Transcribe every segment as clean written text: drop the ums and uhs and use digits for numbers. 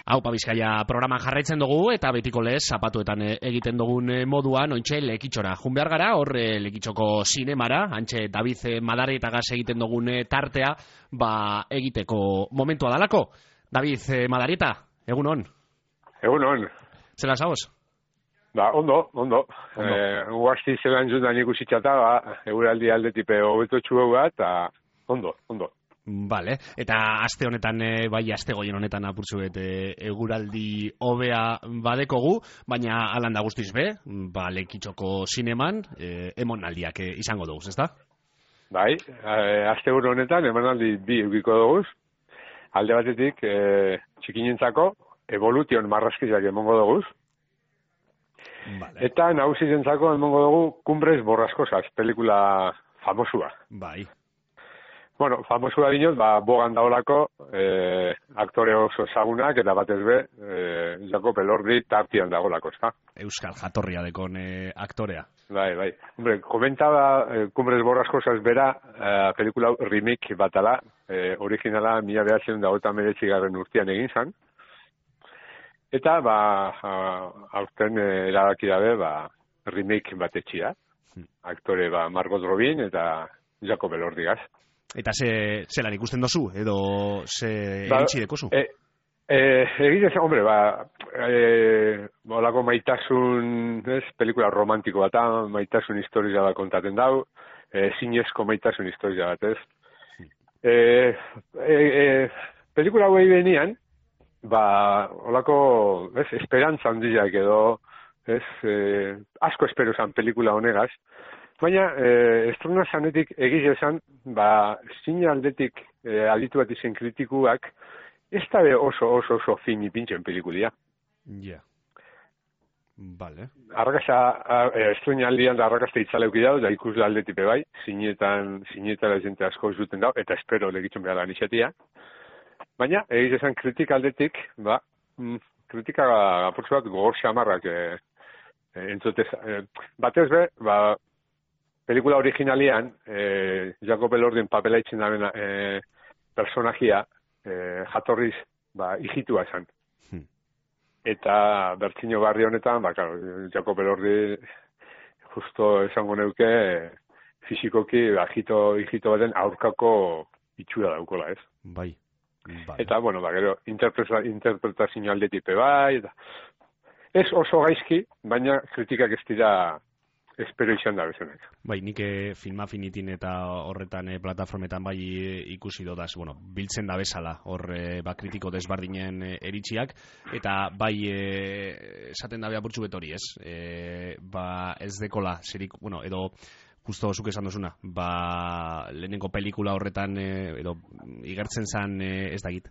Aupa Bizkaia programa jarraitzen dugu eta betiko lez zapatuetan egiten dugun moduan ointxe Lekitxora. Jun behar gara, hor Lekitxoko sinemara, antxe David Madaretagaz egiten dugun tartea, egiteko momentua dalako. David Madareta, egun hon? Egun hon. Zela zaoz? Ondo. Guazti zelan jundan ikusitxata, euraldi aldetipe hobetotxu eta ondo. Vale, eta aste honetan, aste goien honetan apurtzuet eguraldi hobea badekogu, baina alan da guztiz be, Lekitxoko sineman, emonaldiak izango dugu, ezta? Bai, aste honetan emonaldi bi eukiko dugu, alde batetik txikinentzako Evolution marrazkizak emongo dugu, vale. Eta nagusizentzako emongo dugu Cumbres Borrascosas, pelikula famosua. Bai. Bueno, famosua dinot, bogan daolako aktore oso ezagunak eta batez be, Jakob Elordi tartian dagoelako, ezta? Euskal jatorria dekon aktorea. Bai. Hombre, komentaba Cumbres Borrascosas bera, pelikula remake batala, originala 1989 urtean egin zan. Eta, aurten erabaki dabe, remake bat etxia. Aktore, Margot Robin eta Jakob Elordigaz. Eta zelan ikusten dozu, edo ze iritsi dekozu? Egitez, hombre, olako maitasun, pelikula romantiko bat, maitasun historia bat kontaten dau, zinezko maitasun historia bat, pelikula hau benian, olako, esperantza handiak edo, asko espero zan pelikula honegaz, baina, estrona zanetik egiz esan, zine aldetik aditu bat izen kritikuak, ez da oso fini pintxen pelikulia. Ja. Vale. Estrena aldian da arrakazta itzaleuki dau, da ikusle aldetipe bai, zinetara jente asko zuten dau, eta espero legitzen behar lan izatea. Baina, egiz esan kritika aldetik, kritika apurtzu bat gogor xamarrak entzutez. Batez be, pelikula originalian, Jakob Elordin papela itzen daben personajia jatorriz hijitua esan. Eta bertzino barri honetan, Jakob Elordi justo esango neuke fizikoki hijito baten aurkako itxura daukola, ez? Bai. Eta, gero, interpretazio aldetipe bai, eta ez oso gaizki, baina kritikak ez dira espero izan da bezenak. Bai, nik Filmafinitin eta horretan plataformetan ikusi dodaz, biltzen da bezala, hor kritiko desbardinen eritziak, eta esaten da apurtxu betori, ez? Ez dekola, edo justo zuk esan dozuna, lehenengo pelikula horretan, edo igertzen zan, ez dakit,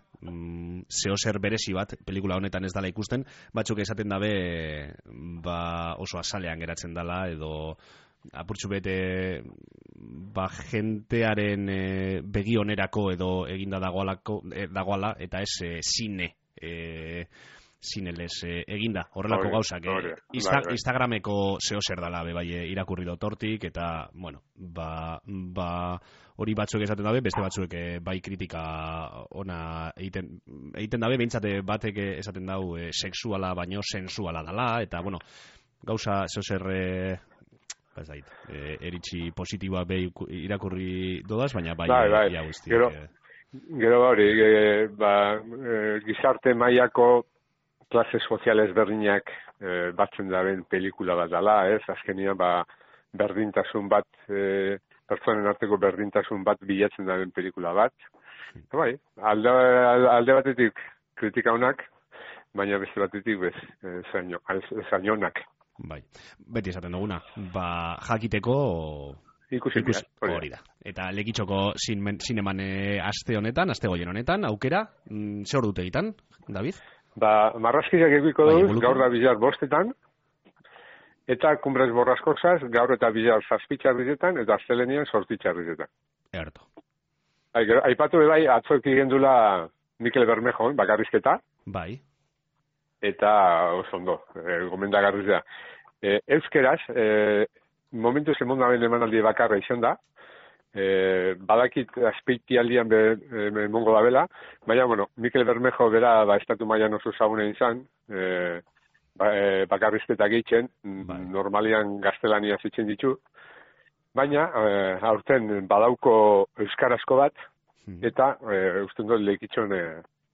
zeozer berezi bat, pelikula honetan ez dala ikusten, batzuk esaten dabe, oso azalean geratzen dala, edo apurtxu bete, jentearen begi onerako edo eginda dagoala, eta ez zine, zinelez eginda, horrelako gauzak Instagrameko zeozer dala irakurri dotortik, eta hori batzuk esaten dabe, beste batzuek kritika ona egiten dabe, behintzate batek esaten dau sexuala baino sensuala dala, eta gauza zeozer eritzi positiboa irakurri dodaz, baina ia guzti. Gero hori, gizarte mailako klase soziales berdinak batzen daren pelikula bat dala, ez? Azkenian, berdintasun bat, pertsonen arteko berdintasun bat bilatzen daren pelikula bat. Alde batetik kritika honak, baina beste batetik zainonak. Bai, beti esaten duguna, jakiteko ikusi hori da. Eta Lekitxoko sineman aste honetan, aste goien honetan, aukera, ze hor dute egiten, David? Marrazkizak egiko duz, gaur da bizar 5:00, eta Cumbres Borrascosas gaur eta bizar 7:00 eta astelenian 8:00. Erto. Aipatu atzoek gendula Mikel Bermejon, bakarrizketa. Bai. Eta oso ondo, gomendagarriz da. Euskeraz, momentu zemondaben emanaldi bakarra izan da, badakit azpeitialdian mongo da bela, baina, bueno, Mikel Bermejo bera estatu mailan oso zaguna izan, bakarrizketak egiten, normalian gaztelania zitzen ditu, baina aurten badauko euskarazko bat, eta usten dut lehikitzon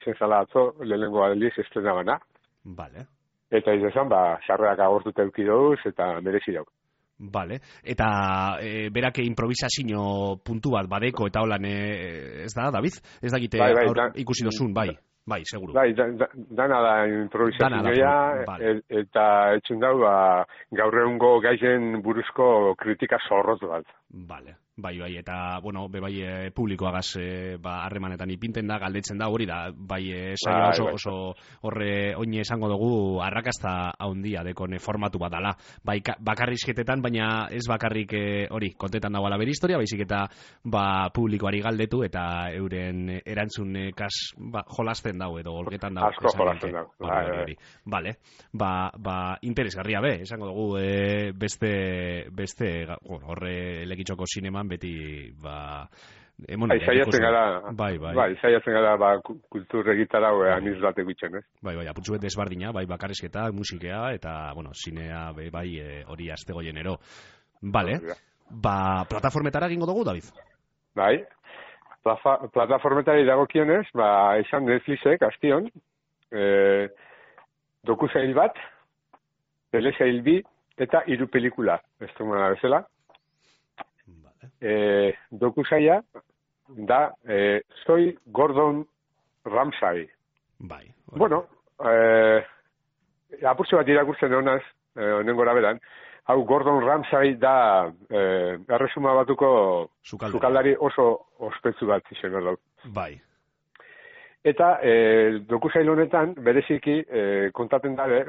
zenzala atzo, lehenengo aldiz estrena bana. Vale. Eta izan, sarreak agortuta eukidoguz, eta merezi dauk. Vale. Eta berak improvisazio puntu bat badeko eta holan ez da, David? Ez dakite ikusi dozun, bai, seguru. Bai, dana da improvisazioa, eta etxun dau, gaur egungo gaizen buruzko kritika zorroz bat. Vale. Bai, eta, bueno, bebai publikoagaz harremanetan ipinten da, galdetzen da, hori da, saioa oso horre oine esango dugu arrakasta haundia dekon formatu bat dala. Bai, bakarrizketetan, baina ez bakarrik hori, kontetan dagoela bere historia, baizik eta publikoari galdetu eta euren erantzun jolasten dau edo olgetan dau. Asko jolasten dau. Vale, interesgarria esango dugu beste horre lekitxoko sinema beti, saiatzen gara kultur egitarau aniz bat egiten, ez? Bai, apurtzu bet desbardina, bakarrizketa, musikea, eta, sinea, hori astegoienero. Vale, plataformetara egingo dugu, David? Bai, plataformetari dagokionez, esan Netflixek, astion, dokusail bat, telesail bi, eta 3 pelikula, ez dumana bezala. Dokusaia da Soy Gordon Ramsay. Bai. Bueno, apurtxo bat irakurtzen honaz, honen gora beran, hau Gordon Ramsay da erresuma batuko sukaldari oso ospetsu bat izan dut. Bai. Eta dokusail honetan, bereziki kontaten dabe,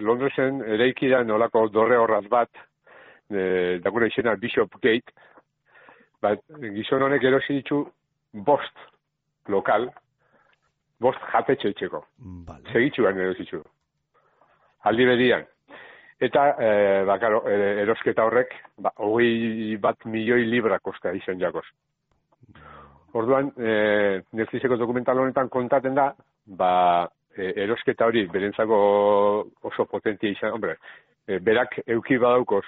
Londresen eraikidan olako dorre horraz bat, daguna izena Bishop Gate, gizon honek erosi ditu 5 lokal, 5 jatetxe itxeko. Vale. Segitxuan erosi ditu. Aldi bedian. Eta, erosketa horrek, 21 milioi libra kosta izan jakoz. Orduan, Netflixeko dokumental honetan kontaten da, erosketa hori berentzako oso potentia izan, berak euki badaukoz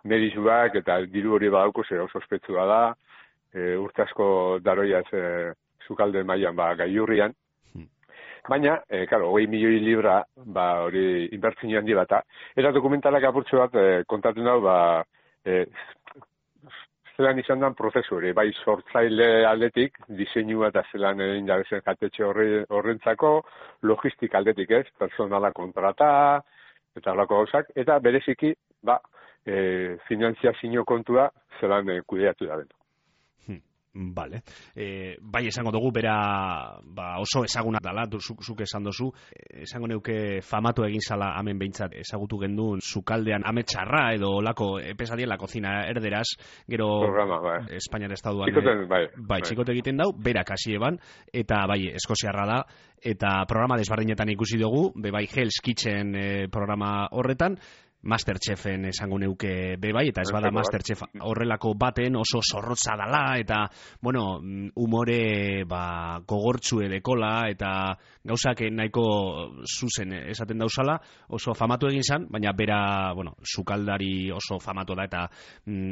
merizuak eta diru hori badaukoz oso ospetsua da, urte asko daroiaz sukalde mailan gaiurrian. Baina, 20 milioi libra hori inbertzio handi bata. Eta dokumentalak apurtxo bat kontatzen dau, zelan izan den prozesu hori, bai sortzaile aldetik, diseinua eta zelan egin dabezen jatetxe horrentzako, logistik aldetik ez, personala kontrata, eta horako gauzak, eta bereziki, finantziazio kontua zelan kudeatu da den. Vale. Bai esango dugu, bera oso ezaguna dela, zuk esan dozu, esango neuke famatu egin zala hemen behintzat ezagutu gendun sukaldean ametxarra edo olako pesadien la cocina erderaz, gero Espainiar estaduan txikote egiten dau, berak hasi eban, eta eskoziarra da, eta programa desbardinetan ikusi dugu, bai Hell's Kitchen programa horretan, Masterchefen esango neuke bebai, eta ez bada Masterchef horrelako baten oso zorrotza dala, eta, umore gogortzu edekola, eta gauzak nahiko zuzen esaten dauzala, oso famatu egin zan, baina bera, sukaldari oso famatu da, eta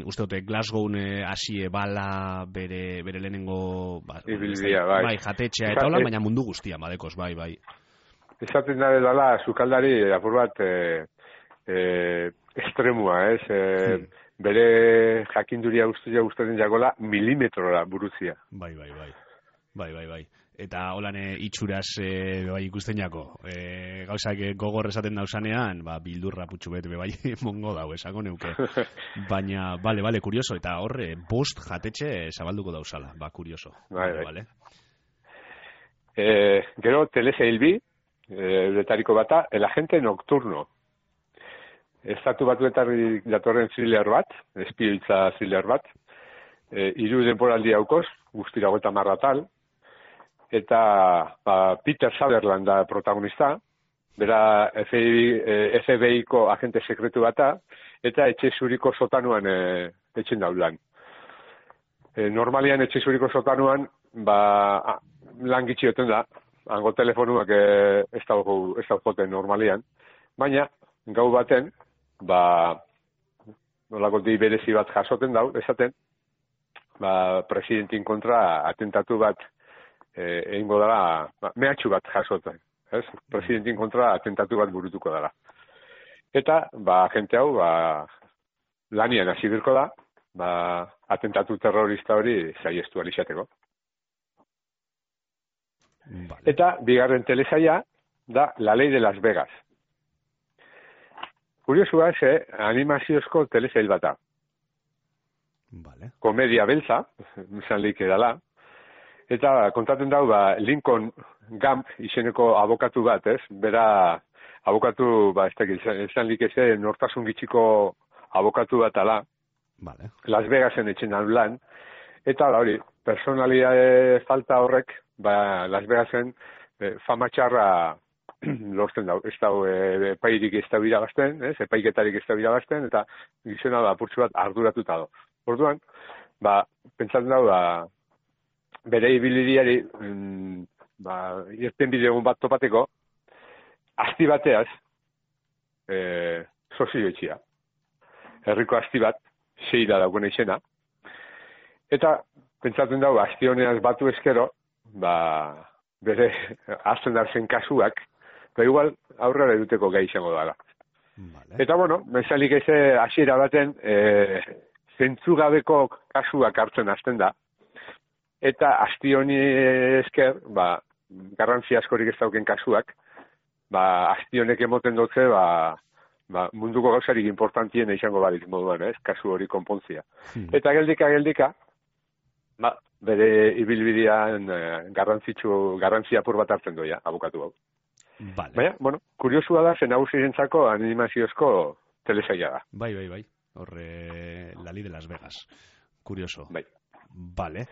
uste dute Glasgow hasi bala bere lehenengo jatetxea eta hola, baina mundu guztia badekoz, bai. Esaten da dela sukaldari apur bat estremua, ez? Bere jakinduria guztien jagola milimetrora buruzia. Bai. Eta holan itxuraz ikusten jako. Gauzak gogor esaten dausanean, bildurra putxu bet bai mongo dau, esango neuke. Baina, bale, kurioso, eta horre 5 jatetxe zabalduko dauzala, kurioso. Bai. Gero, telesail bi, euretariko bata, El agente nocturno. Estatu batuetarri datorren thriller bat, espioitza thriller bat, 3 denporaldi haukoz, guztira 30 atal, eta Peter Sutherland da protagonista, bera FBI-ko agente sekretu bata, eta etxe zuriko sotanuan etxen daulan. Normalian etxe zuriko sotanuan, lan gitxioten da, hango telefonuak ez dago joten normalian, baina gau baten, nolako dei berezi bat jasoten dau, esaten, presidentin kontra atentatu bat egingo dela, mehatxu bat jasoten, ez? Presidentin kontra atentatu bat burutuko dela. Eta, jente hau, lanian hasi birko da, atentatu terrorista hori saiestu alizateko. Vale. Eta, bigarren telesaia, da La Ley de Las Vegas. Kuriosua, animaziozko telesail bata. Vale. Komedia beltza, izan leike dela, eta kontaten dau, Lincoln Gump izeneko abokatu bat, ez? Bera, abokatu, izan leike nortasun gitxiko abokatu bat ala, Vale. Las Vegasen etxen lan, eta hori, personalidade falta horrek, Las Vegasen fama txarra lortzen dau. Ez dau epairik ez dau irabazten, epaiketarik ez dau irabazten, eta gizona apurtzu bat arduratuta do. Orduan, pentsatzen dau, bere ibilidiari, irten bidegun bat topateko, asti bateaz, sozio etxia. Herriko asti bat, seira dagoen izena. Eta, pentsatzen dau, asti honeaz batu eskero, bere azten darzen kasuak, igual aurrera eduteko gai izango dara. Vale. Eta, mezalik hasiera baten, zentzugabeko kasuak hartzen hasten da, eta asti honi esker, garrantzi askorik ez dauken kasuak, asti honek emoten dutze, munduko gauzarik importantien izango barik moduan, kasu hori konpontzia. Eta geldika, bere ibilbidean garrantzi apur bat hartzen doia, abokatu hau. Vale. Baina, kuriosua da, zen nagusirentzako animaziozko telesaia da. Bai. Horre, La Ley de Las Vegas. Kurioso. Bai. Vale.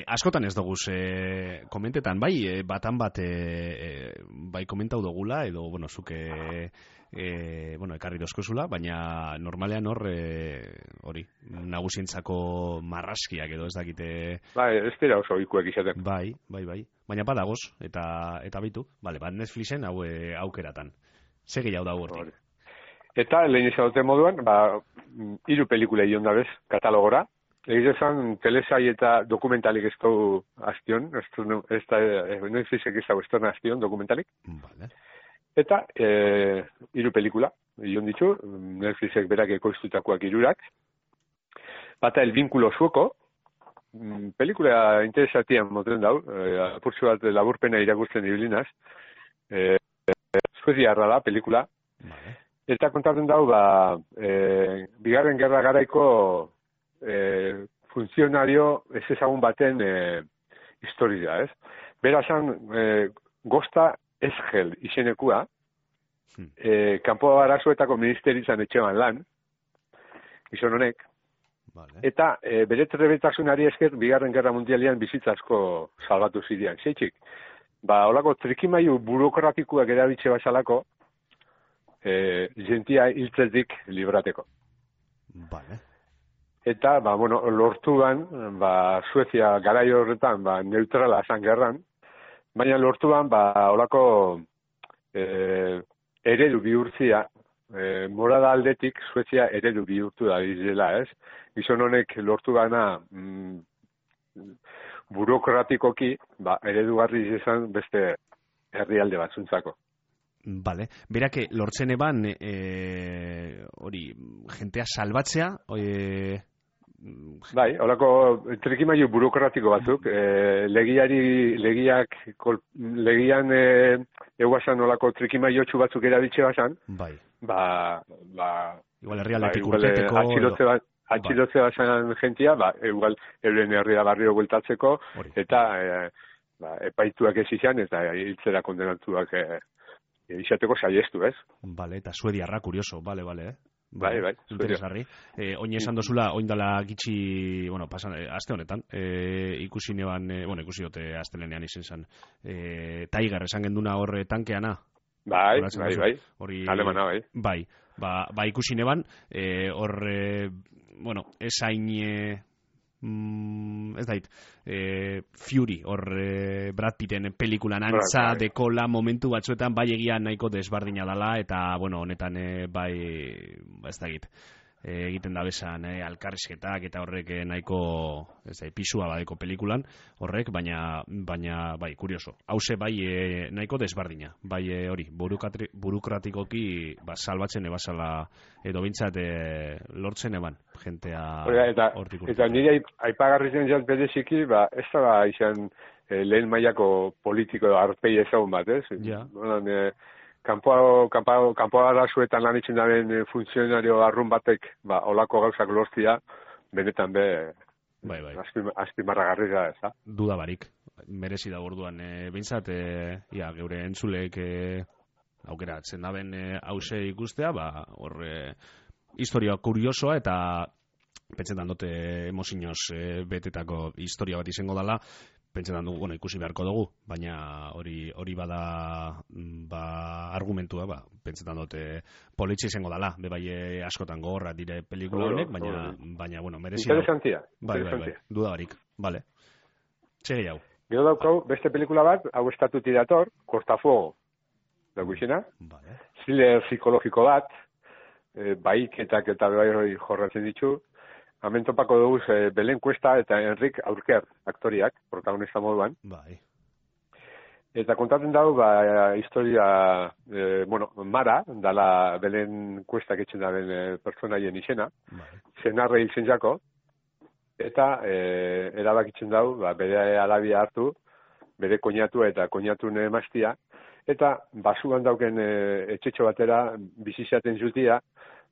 Askotan ez doguz komentetan, batan bat bai komentau dogula, edo, zuke ekarri dozkozula, baina normalean hori, nagusientzako marraskiak edo ez dakite... Ez dira oso ikuek izaten. Bai. Baina badagoz, eta bitu, Netflixen aukeratan. Segi jau da hortik. Eta, lehen izadote moduan, 3 pelikula ion dabez, katalogora. Egizan, telesai eta dokumentalik ez du astion, Netflixek ez du astion dokumentalik. Vale. Eta, 3 pelikula, ion ditu, Netflixek berak ekoiztutakoak 3. Bata, El Vínculo Sueco, pelikula interesatian moten dau, apurtzu bat laburpena irakurtzen ibilinaz, suediarra da, pelikula, Vale. Eta kontatzen dau, bigarren gerra garaiko funtzionario ez ezagun baten historia, ez? Berazan, Gosta Esgel izenekua, kanpo arazoetako ministeritzan etxean lan, gizon honek, Vale. eta bere trebetasunari esker bigarren gerra mundialian bizitza asko salbatu zidean. Zeitzik, holako trikimailu burokratikoak erabitxe bazalako, jentia hiltzetik librateko. Vale. Eta, lortu ban, Suezia garai horretan, neutrala zan gerran, baina lortu ban, holako eredu bihurtzia, morada aldetik Suezia eredu bihurtu da izela, ez? Gizon honek lortu gana burokratikoki, eredugarri izan beste herrialde batzuntzako. Vale. Berak lortzen eban hori jentea salbatzea Bai, holako trikimailu burokratiko batzuk, legian eguazan holako trikimaiotxu batzuk erabitxe bazan, bai. Igual herrialdetik urteteko atxilotze bazan jentia, igual euren herria barrio bueltatzeko, eta epaituak ez izan, eta hiltzera kondenatuak izateko saiestu, ez? Vale, eta suediarra, kurioso, vale, Bai, interesgarri. Oin esan dozula, oin dala gitxi, aste honetan, ikusi neban, ikusi dote astelenean izen zan, Tiger esan genduna horre tankeana. Bai. Hori, Alemana, bai. Bai, ba ikusi neban, hor, bueno, esain... ez dait, Fury, hor Brad Pitten pelikulan antza dekola momentu batzuetan bai egian nahiko desbardina dala, eta, bueno, honetan bai, ez dait, egiten da bezan alkarrizketak eta horrek nahiko pisua badeko pelikulan horrek, baina bai, kurioso. Hauze bai nahiko desbardina, bai hori, burokratikoki salbatzen ebasala edo bintzat lortzen eban, jentea hortik urte. Eta nire aipagarri zen jat bereziki, ez da izan lehen mailako politiko arpei ezagun bat, ez? Ja. Kanpo arazuetan lan itzen daren funtzionario arrun batek, olako gauzak lortzia, benetan bai. azpimarragarri da, ez da? Duda barik, merezi da orduan, bintzat, geure entzulek aukeratzen daben hause ikustea, hor historia kuriosoa eta pentsetan dute emozinoz betetako historia bat izango dela, pentsetan dugu, ikusi beharko dugu, baina hori bada argumentua, pentsetan dute politxe izango dela, bai askotan gogorra dire pelikula honek, baina, merezi da. Interesantia. Bai, duda barik, bale. Txegi hau. Gero daukau, beste pelikula bat, hau estatuti dator, Cortafuego, dago izena, thriller psikologiko bat, baiketak eta bai jorratzen ditu, hemen topako dugu Belen Cuesta eta Enric Aurker aktoriak, protagonista moduan. Bai. Eta kontatzen dago, historia, Mara, dala Belen Cuesta etxen daren pertsonaien izena, zenarre hil zen jako, eta erabakitzen dago, bere alabia hartu, bere koñatu eta koñatun emaztia, eta basuan dauken etxetxo batera bizizaten jutia,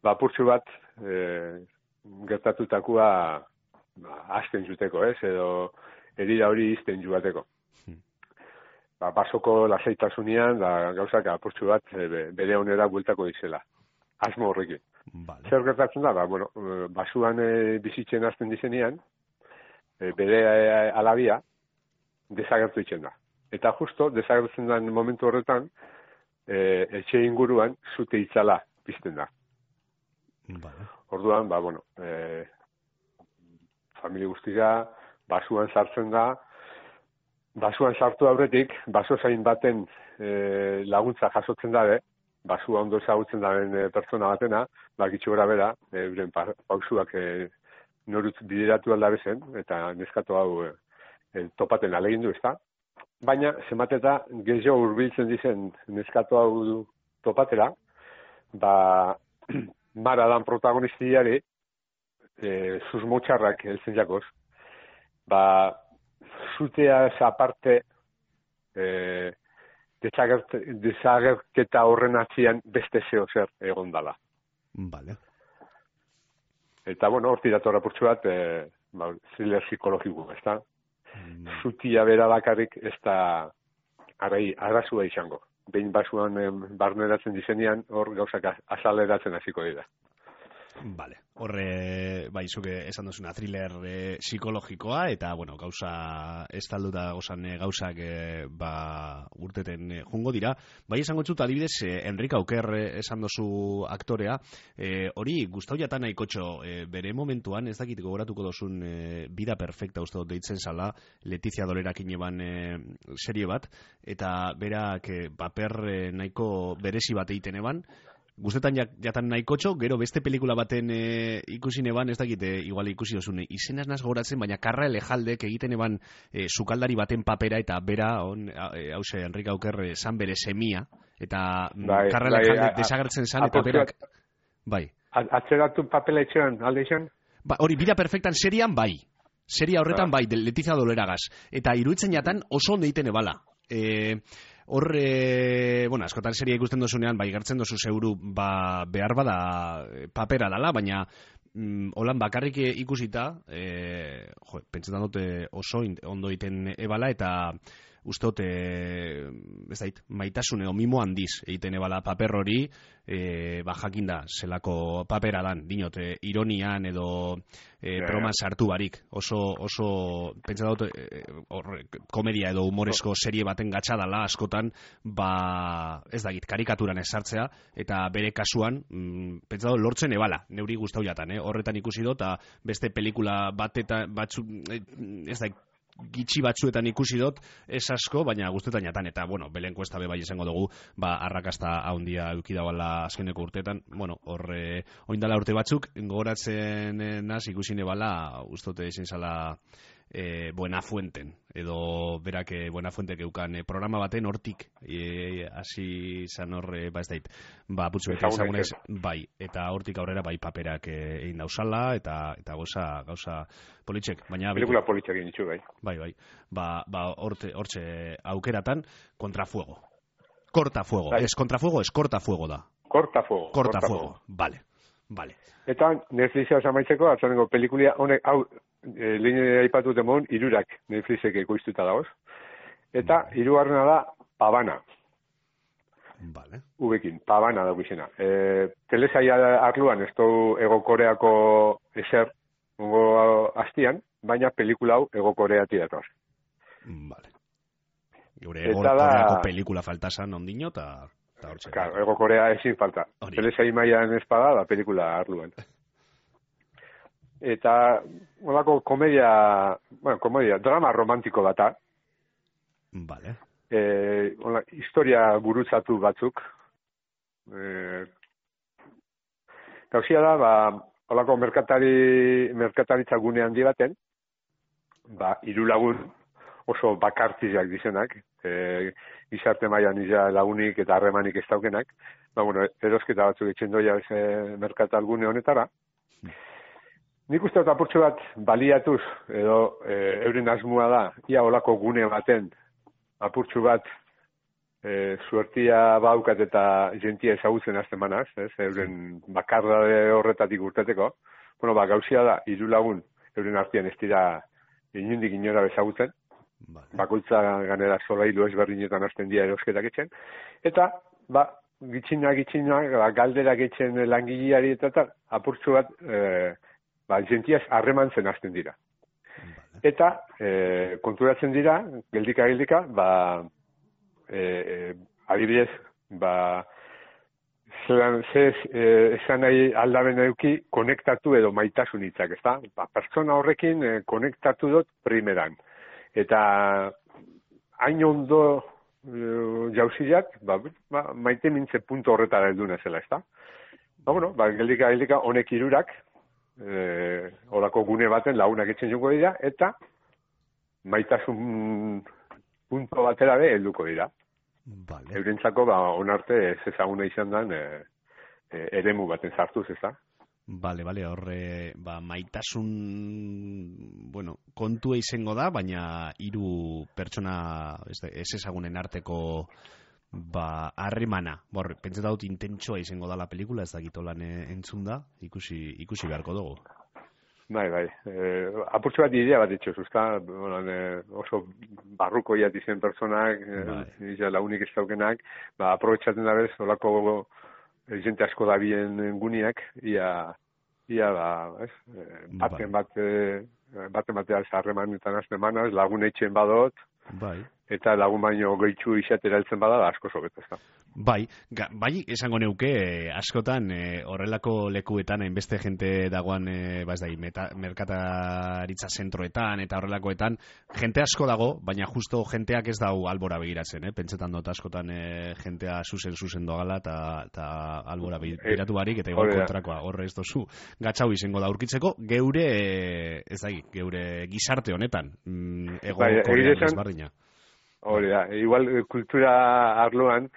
apurtxu bat gertatutakoa hasten juteko, edo herida hori izten jugateko. Basoko lasaitasunean, gauzak apurtxu bat bere onera bueltako dizela. Asmo horrekin. Vale. Zer gertatzen da, basuan bizitzen hasten dizenean, bere alabia desagertu itzen da. Eta justo, desagertzen den momentu horretan, etxe inguruan zute itzala pizten da. Vale. Orduan, familia guztia basuan sartzen da, basuan sartu aurretik, baso zain baten laguntza jasotzen dabe, basua ondo ezagutzen daren pertsona batena, gitxu gara bera, euren pausuak norutz bideratu aldabezen, eta neskato hau topaten alegindu, ezta? Baina, zemateta, gehiago hurbiltzen dizen neskato hau topatera, Mara dan protagonistiari, susmotxarrak heltzen jakoz, zuteaz aparte desagerketa horren atzian beste zeo zer egon dala. Vale. Eta, horti datorra purtsu bat, thriller psikologiko, ez da? Zutia bera bakarrik ez da arrazua izango. Behin basuan barneratzen dizenean, hor gauzak azaleratzen hasiko dira. Vale. Horre, zuke esan duzuna thriller psikologikoa, eta, gauza estalduta gozan gauzak urteten jungo dira. Esango txut, adibidez, Enric Auker esan duzu aktorea, hori gustau jatan nahikotxo, bere momentuan, ez dakit gogoratuko dozun Vida Perfecta uste dut deitzen zala, Letizia Dolerakin eban serie bat, eta berak paper nahiko berezi bat egiten eban, guztetan jatan nahikotxo, gero beste pelikula baten ikusi neban, ez dakit, igual ikusi dozun, izenaz naz goratzen, baina Karra Elejaldek egiten eban sukaldari baten papera, eta bera, hause, Enric Auker, zan bere semia, eta Karra Elejaldek desagertzen zan, eta berak, bai. Atzeratu papela etxean, alde izan? Hori, Vida Perfectan serian, bai. Seria horretan, bai, Letizia Doleragaz. Eta iruditzen jatan oso ondo egiten ebala. Hor, askotan seria ikusten dozunean, gertzen dozu zeuru, behar bada papera dala, baina holan bakarrik ikusita, pentsetan dute oso ondo egiten ebala, eta ustot, ez dait, maitasun edo mimo handiz egiten ebala paper hori, jakinda, zelako papera dan, dinot, ironian edo broman sartu barik. Oso pentsa dut, komedia edo humorezko serie baten gatxadala askotan, ez dakit, karikaturan esartzea, eta bere kasuan, pentsa dut, lortzen ebala, neuri gustau jatan, horretan ikusi dut, eta beste pelikula bat eta batzu, ez da, gitxi batzuetan ikusi dut, ez asko, baina guztetan jatan, eta, bueno, belen kuesta bai izango dugu, arrakasta handia eukidabala azkeneko urteetan, bueno, oindala urte batzuk, gogoratzen naz ikusi nebala, ustote izin zala Buenafuenten, edo berak Buenafuentek eukan programa baten hortik, hasi zan horre, ez dait, putzu bete ezagunez, bai, eta hortik aurrera bai paperak egin dauzala, eta gauza politxek, baina... Pelikula politxek egin ditu, bai. Bai, hortxe aukeratan, Contrafuego. Cortafuego, bai. Ez Contrafuego, ez Cortafuego da. Cortafuego, vale. Eta Netflixa osamaitzeko, atzaneko pelikulia, honek, hau, lehen aipatu demon, irurak Netflixek ekoiztuta dagoz. Eta hirugarrena da Pavana. Vale. Ubekin, Pavana dago izena. Telesaia arluan, ez du Ego Koreako eser, ongo hastian, baina pelikula hau Ego Koreati datoaz. Vale. Gure Ego Koreako pelikula faltasan ondino, eta hortxe. Claro, Ego Korea ezin falta. Telesai mailan espada da pelikula arluan. Eta, holako komedia, drama romantiko bata. Vale. Historia gurutzatu batzuk. Gauzia da, holako merkataritza gune handi baten, hiru lagun oso bakartizak dizenak, gizarte mailan iza lagunik eta harremanik ez daukenak, erosketa batzuk etxen doia merkatal gune honetara. Nik uste dut apurtxo bat baliatuz, edo euren asmoa da, ia olako gune baten apurtxo bat suertia baukat eta jentia ezagutzen azten manaz, euren bakarra horretatik urteteko. Gauzia da, hiru lagun euren artean ez dira inundik inora ezagutzen, bakoitza ganera solailu ezberdinetan hasten dira erosketak etxen, eta gitxinak, galderak etxen langileari eta apurtxo bat jentiaz harremantzen hasten dira. Eta konturatzen dira, geldika, adibidez, esan nahi aldaben eduki konektatu edo maitasun hitzak, ezta? Pertsona horrekin konektatu dut primeran. Eta hain ondo jauziak, maite mintze punto horretara helduna zela, ezta? Geldika, honek hirurak, horako gune baten lagunak etxen joko dira, eta maitasun punto batera be helduko dira. Vale. Eurentzako onarte ez ezaguna izan den eremu baten sartuz, ez da? Vale, horre, maitasun, kontua izango da, baina hiru pertsona ez ezagunen arteko harremana. Pentsa dut intentsoa izango da la pelikula, ez dakitolan entzun da, ikusi beharko dugu. Bai. Apurtxo bat idea bat ditxoz, usta? Oso barruko iat izen personak, launik ez daukenak, aprobetxaten da bez, olako jente asko da bien guniak, baten batean harremanetan azten manaz, lagun etxen badot, eta lagun baino goitxu izatera heltzen bada, asko sobetu, ez da. Bai, esango neuke, askotan horrelako lekuetan hainbeste jente dagoan, merkataritza zentroetan eta horrelakoetan, jente asko dago, baina justo jenteak ez dau albora begiratzen, pentsetan dut askotan jentea zuzen dogala eta albora begiratu barik, eta igual kontrakoa, horre ez dozu, gatxau izango da urkitzeko, geure gizarte honetan, Korean ezberdina. Hori da, igual kultura arloan,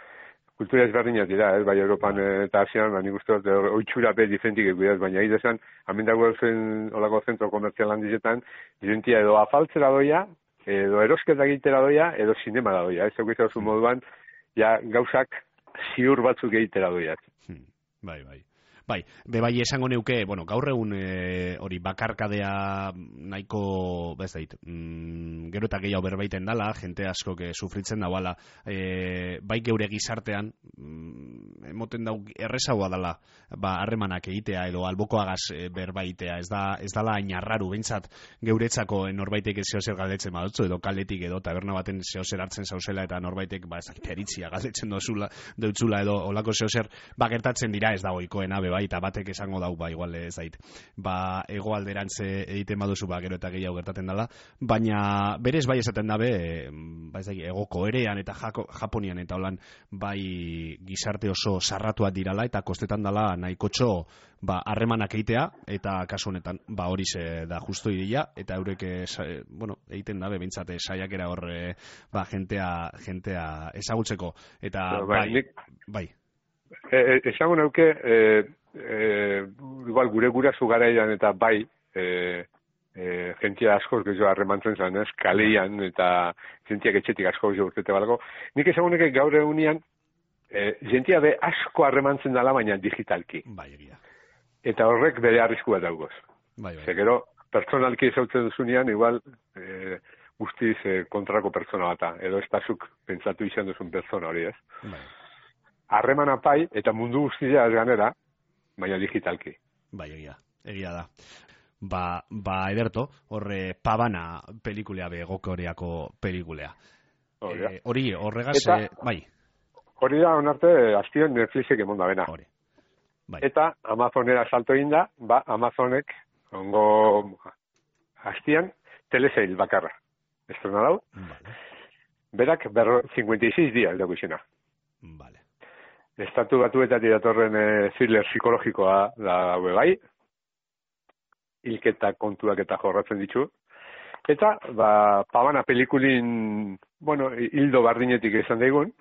kultura ezberdinak dira, bai Europan eta Asian, nik uste dut, oitxura be diferentik egudaz, baina idezan, amendago zen olako zentro komertzial handizetan, jentia edo afaltzera doia, edo erosketa egitera doia, edo sinema da doia, ez eukizau moduan, gauzak ziur batzuk egitera doia. Bai. Bai, bebai esango neuke, bueno, gaur egun hori bakarkadea nahiko, gero eta gehiago berbaiten dala, jente asko sufritzen dauala, bai geure gizartean, emoten dau errezagoa dala, harremanak egitea edo albokoagaz berbaitea, ez dala ainarraru, behintzat geuretzako norbaitek zehozer galdetzen badutzu, edo kaldetik edo taberna baten zehozer hartzen zauzela eta norbaitek, peritzia galdetzen deutzula edo olako zehozer, gertatzen dira ez da oikoena, bai, eta batek esango dau, igual ez zait, hegoalderantz egiten baduzu, gero eta gehiago gertaten dela, baina berez bai esaten dabe, ego Korean eta Japonian eta holan, bai gizarte oso sarratuak dirala, eta kostetan dela nahikotxo, harremanak egitea, eta kasu honetan, hori da justo iria, eta eurek, egiten dabe, bintzate, saiakera hor, jentea ezagutzeko, eta bai. Esango nauke, igual gure gurasu garaian eta bai, jentia askoz gehiago harremantzen zen, kaleian eta jentiak etxetik asko gehiago urtete balgo. Nik esango nuke gaur egunean, jentia be asko harremantzen dela, baina digitalki. Bai, egia. Eta horrek bere arriskua daugoz. Bai. Zegero, personalki ezautzen duzunean, igual, guztiz kontrako pertsona bata, edo ez pasuk pentsatu izan duzun pertsona hori, ez? Bai. Harreman apai eta mundu guztia ez ganera, baina digitalki. Bai, egia da. Ederto, horre Pavana pelikulea Gokoreako pelikulea. Horregaz, bai. Hori da, onarte, azpion Netflixek emonda bena. Bai. Eta Amazonera salto inda, Amazonek, ongo aztian, telesail bakarra. Estrena dau. Vale. Berak 56 dias dago izena. Vale. Estatu batuetatik datorren thriller psikologikoa da daue bai, hilketa kontuak eta jorratzen ditu. Eta, Pavana pelikulin, hildo bardinetik izan daigun,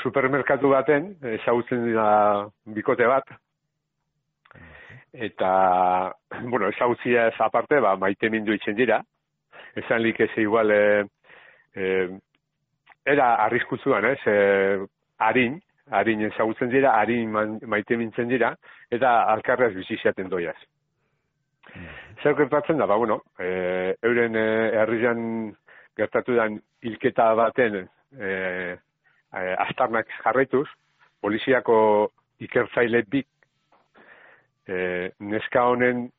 supermerkatu baten, ezagutzen dira bikote bat, eta, ezagutzia ez aparte, maite mindu itzen dira, esan lik ez igual, era arriskutzuan, harin ezagutzen dira, harin maite mintzen dira, eta alkarreaz biziziaten doiaz. Zer gertatzen da, euren herrian gertatu den hilketa baten astarnak jarraituz, poliziako ikertzaile bik neska honen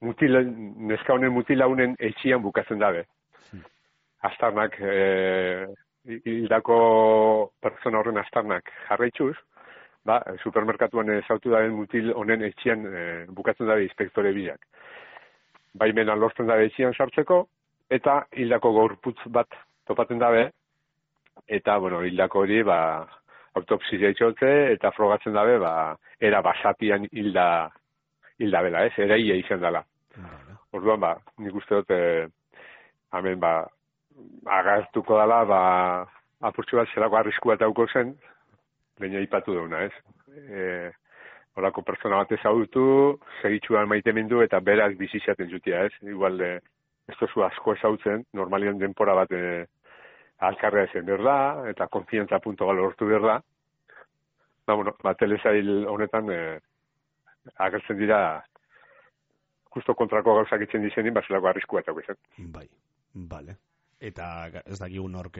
neska honen mutilaunen etxian bukatzen dabe. Astarnak hildako pertsona horren astarnak jarraituz, supermerkatuan ezautu daren mutil honen etxian bukatzen dabe inspektore bilak. Baimena lortzen dabe etxian sartzeko, eta hildako gorputz bat topatzen dabe, eta, hildako hori, autopsia itxotze, eta frogatzen dabe, era basatian hilda bela, eraia izan dela. Orduan, nik uste dut, hemen, agartuko dela, apurtxu bat zelako arrisku bat dauko zen, baina ipatu dauna, horako pertsona bat ezautu, segitxuan maite mindu, eta beraz bizizaten jutia, igual, ez tozu asko ezautzen, normalian denpora bat alkarrea ezen behar da, eta konfiantza punto galo hortu behar da. Telesail honetan agertzen dira justo kontrako gauzak itzen dizenin, zelako arriskua eta guizan. Bai, bale. Eta ez dakigu nork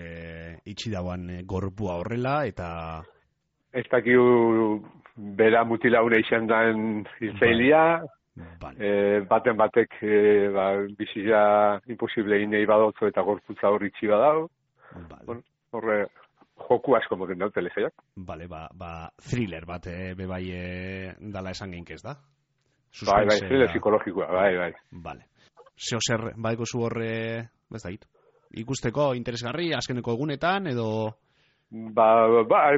itxi dauan gorpua horrela, eta... Ez dakigu bera mutilaune izan den hiltzailia, baten batek bizia imposible inei badotzo eta gorputza hor itxi badau. Horre joku asko moten dau telesaiak. Bale, thriller bat bebai dala esan geinkez da? Bai, thriller psikologikoa, bai. Bale. Zeo zer, baiko zu horre, ez da hit? Ikusteko interesgarri, azkeneko egunetan, edo...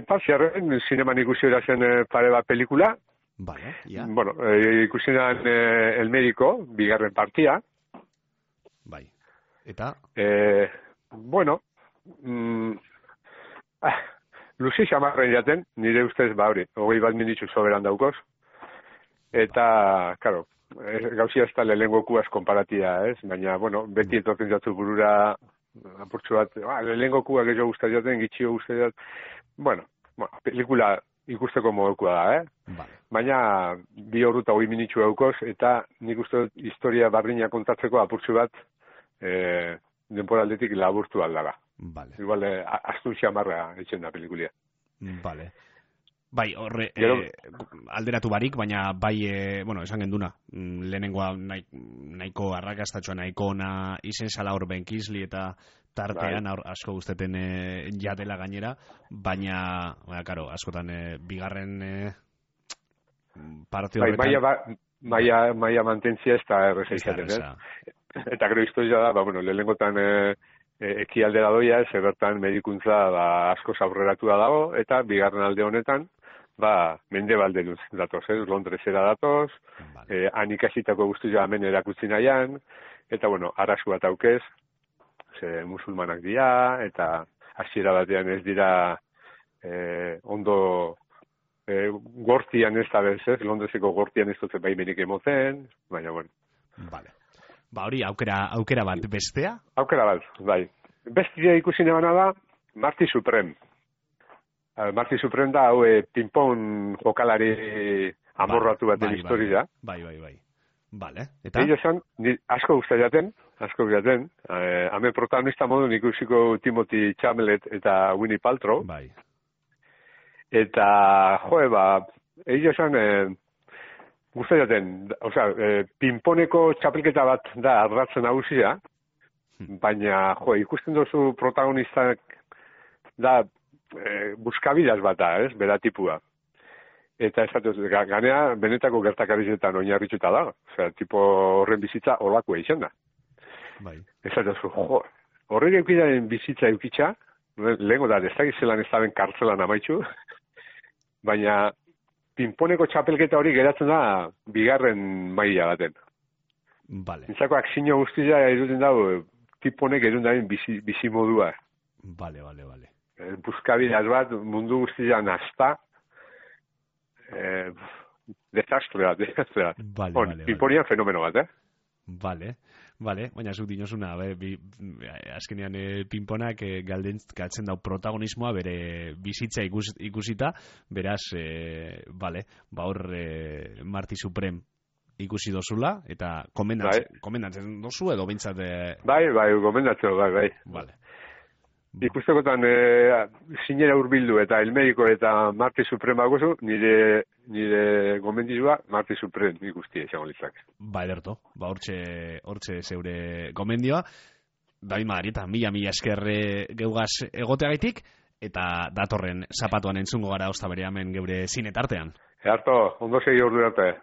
Pasiarren, zineman ikusi erazen pare bat pelikula. Vale, ja. Ikusi eran El Médico, bigarren partia. Bai, eta? Luzi xamarren jaten, nire ustez, hori, 20 minitzu soberan daukoz. Eta, karo, gauzia ez da lehengokuaz konparatia, baina, beti etorten jatu burura apurtxu bat, lehengokuak gehiago guztat jaten, gitxio guztat jaten. Pelikula ikusteko modukoa da, Vale. Baina 2 ordu eta 20 minutxu eukoz, eta nik uste dut historia bardina kontatzeko apurtxu bat denporaldetik laburtu aldara. Vale. Igual, astun xamarra etxen da pelikulia. Vale. Bai, horre, alderatu barik, baina bai, bueno, esan genduna, lehenengoa nahiko arrakastatxoa, nahiko ona izen zala hor Ben Kingsley eta tartean asko guzteten jatela gainera, baina, karo, askotan bigarren parte horretan... Maia mantentzia ez da erreza izaten, Eta gero historia da, lehenengotan ekialdera doia, bertan medikuntza asko aurreratu da dago, eta bigarren alde honetan, mendebalde datoz, Londresera datoz, han ikasitako guztia hemen erakutsi nahian, eta, arazu bat aukez, musulmanak dira, eta hasiera batean ez dira ondo gortian ez da bez, Londreseko gortian ez dut baimenik emoten, baina, Vale. Hori, aukera bat bestea? Aukera bat, bai. Bestia ikusi nebana da, Marty Supreme. Marty Supreme da, ping-pong jokalari amorratu baten historia. Bai. Vale, eta? Eta esan, asko guztatzen, hemen protagonista modun ikusiko Timothy Chalamet eta Winnie Paltrow. Bai. Eta, esan, gustatzen, pinponeko txapelketa bat da arratzen nagusia, baina, ikusten duzu protagonistak da buskabilaz bat da, bera tipua. Eta ganea benetako gertakarizetan oinarrituta da. Tipo horren bizitza olakoa izan da. Bai. Horrek eukidaren bizitza eukitza, lehenko da, ez da gizelan ez daben kartzelan amaitzu, baina pinponeko txapelketa hori geratzen da bigarren maila baten. Vale. Nintzako aksinio guztia eduten dago, tiponek edun daen bizi modua. Vale. Buskabilaz bat mundu guztia nazta, desastre bat. Vale. Pinponian fenomeno bat, Vale, baina zuk dinosuna, azkenean pinponak galtzen dau protagonismoa bere bizitza ikusita, beraz, hor Marty Supreme ikusi dozula, eta komendatzen dozu edo bintzat... Bai, komendatzen, bai. Vale. Ikustekotan sinera urbildu eta El Médico eta Marty Supreme bagozu, nire gomendizua Marty Supreme ikusti esango litzak. Ederto, hortxe zeure gomendioa. David Madarieta, mila esker geugaz egoteagaitik, eta datorren zapatuan entzungo gara ozta bere hemen geure zinetartean. Earto, ondo segi ordu arte.